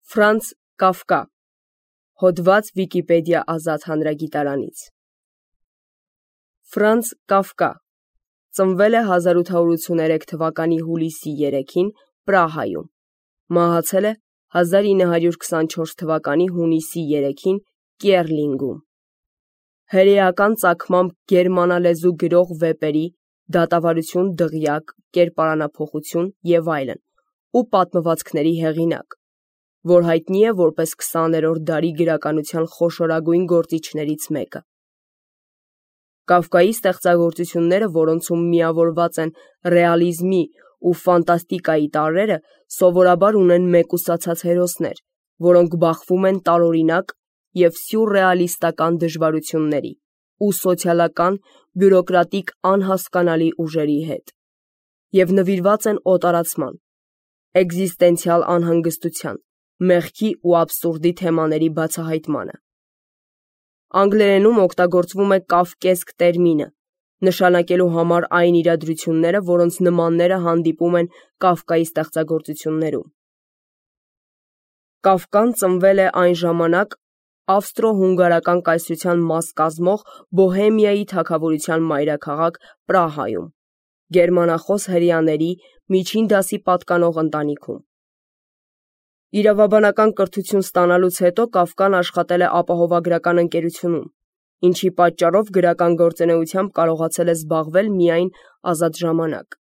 Ֆրանց Կաֆկա, հոդված Վիկիպեդիա ազատ հանրագիտարանից։ Ֆրանց Կաֆկա ծնվել է 1883 թվականի հուլիսի 3-ին Պրահայում, մահացել է 1924 թվականի հունիսի 3-ին Կիեռլինգում։ Հրեական ծագմամբ գերմանալեզու գրող վեպերի «Դատավարություն, դղյակ, կերպարանափոխություն» և այլն ու պատմվածքների հեղինակ, որ հայտնի է որպես 20-րդ դարի գրականության խոշորագույն գործիչներից մեկը։ Կաֆկայի ստեղծագործությունները, որոնցում միավորված են ռեալիզմի ու ֆանտաստիկայի տարրերը, սովորաբար ունեն մեկուսացած հերոսներ, որոնք բախվում են տարօրինակ և սյուրռեալիստական դժվարությունների ու սոցիալական, բյուրոկրատիկ անհասկանալի ուժերի հետ, և նվիրված են օտարացման, էկզիստենցիալ անհանգստության, մեղքի ու աբսուրդի թեմաների բացահայտմանը։ Անգլերենում օգտագործվում է կավկեսկ տերմինը, նշանակելու համար այն իրադրությունները, որոնց նմանները հանդիպում են Կաֆկայի ստեղծագործություններում։ Կաֆկան ծնվել է այն ժամանակ ավստրո-հունգարական կայսրության մաս կազմող Բոհեմիայի թագավորության մայրաքաղաք Պրահայում, գերմանախոս հրեաների միջին դասի պատկանող ընտանիքում։ Իրավաբանական կրթություն ստանալուց հետո Կաֆկան աշխատել է ապահովագրական ընկերությունում, ինչի պատճառով գրական գործունեությամբ կարողացել է զբաղվել միայն ազատ ժամանակ։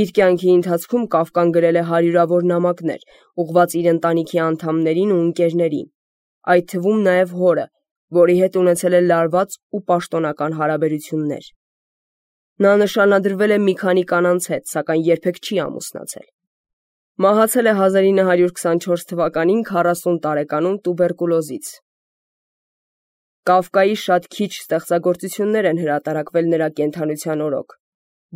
Իր կյանքի ընթացքում Կաֆկան գրել է հարյուրավոր նամակներ, ուղղված իր ընտանիքի անդամներին ու ընկերներին, այդ թվում նաև հորը, որի հետ ունեցել է լարված ու պաշտոնական հարաբերություններ։ Նա նշանադրվել է մի քանի կանանց հետ, սակայն երբեք չի ամուսնացել։ Մահացել է 1924 թվականին 40 տարեկանում տուբերկուլոզից։ Կաֆկայի շատ քիչ ստեղծագործություններ են հրատարակվել նրա կենդանության օրոք։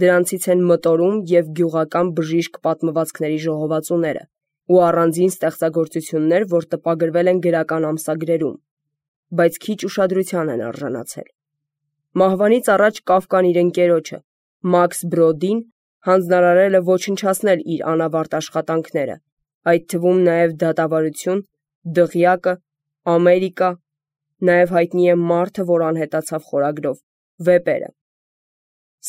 Դրանցից են «Մտորում» և «Գյուղական բժիշկ» պատմվածքների ժողովածուները ու առանձին ստեղծագործություններ, որ տպագրվել են գրական ամսագրերում, բայց քիչ ուշադրության են արժանացել։ Մահվանից առաջ Կաֆկան իր ընկերոջը՝ Մաքս Բրոդին հանձնարարել է ոչնչացնել իր անավարտ աշխատանքները, այդ թվում նաև «Դատավարություն», «Դղյակը», «Ամերիկա», նաև հայտնի է «Մարդը, որ անհետացավ» խորագրով, վեպերը։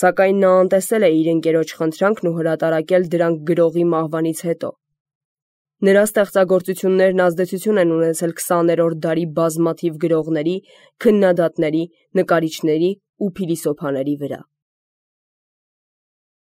Սակայն նա անտեսել է իր ընկերոջ խնդրանքն ու հրատարակել դրանք գրողի մահվանից հետո։ Նրա ստեղծագործություններն ազդեցություն են ունեցել 20-րդ դարի բազմաթիվ գրողների, քննադատների, նկարիչների ու փիլիսոփաների վրա։